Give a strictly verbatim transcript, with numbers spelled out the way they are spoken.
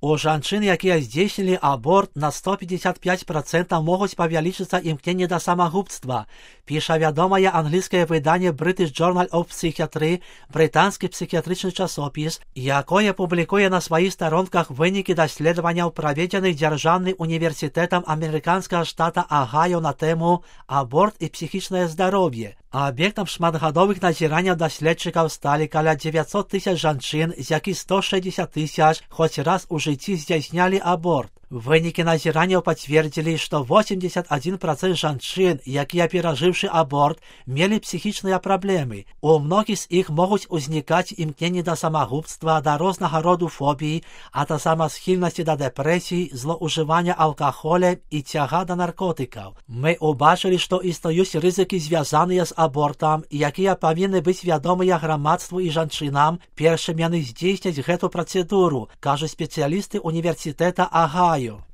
У жанчын, якія здзейснілі аборт, на сто пятьдесят пять процентов могуць павялічыцца імкненне да самагубства, піша вядомае англійскае выданне British Journal of Psychiatry, брытанскі псіхіятрычны часопіс, якое публікуе на сваіх старонках вынікі даследаванняў, праведзеных дзяржаўным універсітэтам амерыканскага штата Агайо на тэму «Аборт і псіхічнае здароўе». Аб'ектам шматгадовых назіранняў даследчыкаў сталі каля девятьсот тысяч жанчын, з якіх сто шестьдесят тысяч хоць раз у жыцці здзяйснялі аборт. Вынікі назіранняў пацвердзілі, што восемьдесят один процент жанчын, якія перажыўшы аборт, мелі псіхічныя праблемы. У многіх з іх могуць узнікаць імкненні да самагубства, да рознага роду фобій, а таксама схільнасці да дэпрэсій, злоўжывання алкаголем і цяга да наркотыкаў. Мы ўбачылі, што існуюць рызыкі, звязаныя з абортам, якія павінны быць вядомыя грамадству і жанчынам, перш чым яны здзейсняць гэту працэдуру, кажуць спецыялісты універсітэта Агайо.